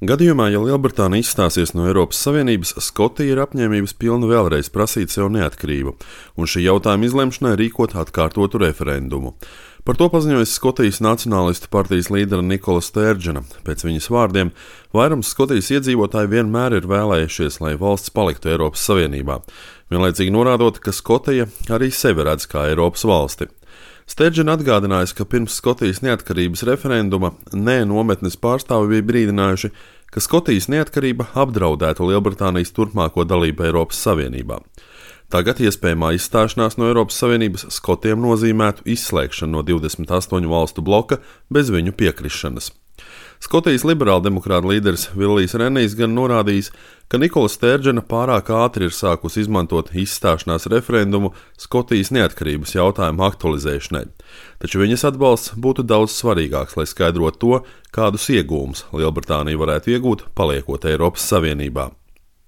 Gadījumā, ja Lielbritānija izstāsies no Eiropas Savienības, Skotija ir apņēmības pilna vēlreiz prasīt sev neatkarību, un šī jautājuma izlemšanai rīkot atkārtotu referendumu. Par to paziņojas Skotijas Nacionālistu partijas līdera Nikola Stērdžena. Pēc viņas vārdiem, vairums Skotijas iedzīvotāji vienmēr ir vēlējušies, lai valsts paliktu Eiropas Savienībā, vienlaicīgi norādot, ka Skotija arī sevi redz kā Eiropas valsti. Stērdžena atgādinājis, ka pirms Skotijas neatkarības referenduma nometnes pārstāvi bija brīdinājuši, ka Skotijas neatkarība apdraudētu Lielbritānijas turpmāko dalību Eiropas Savienībā. Tagad iespējamā izstāšanās no Eiropas Savienības Skotiem nozīmētu izslēgšanu no 28 valstu bloka bez viņu piekrišanas. Skotijas liberāldemokrāta līderis Villijs Renijs gan norādījis, ka Nikola Stērdžena pārāk ātri ir sākusi izmantot izstāšanās referendumu Skotijas neatkarības jautājumu aktualizēšanai, taču viņas atbalsts būtu daudz svarīgāks, lai skaidrotu to, kādus iegūmus Lielbritānija varētu iegūt, paliekot Eiropas Savienībā.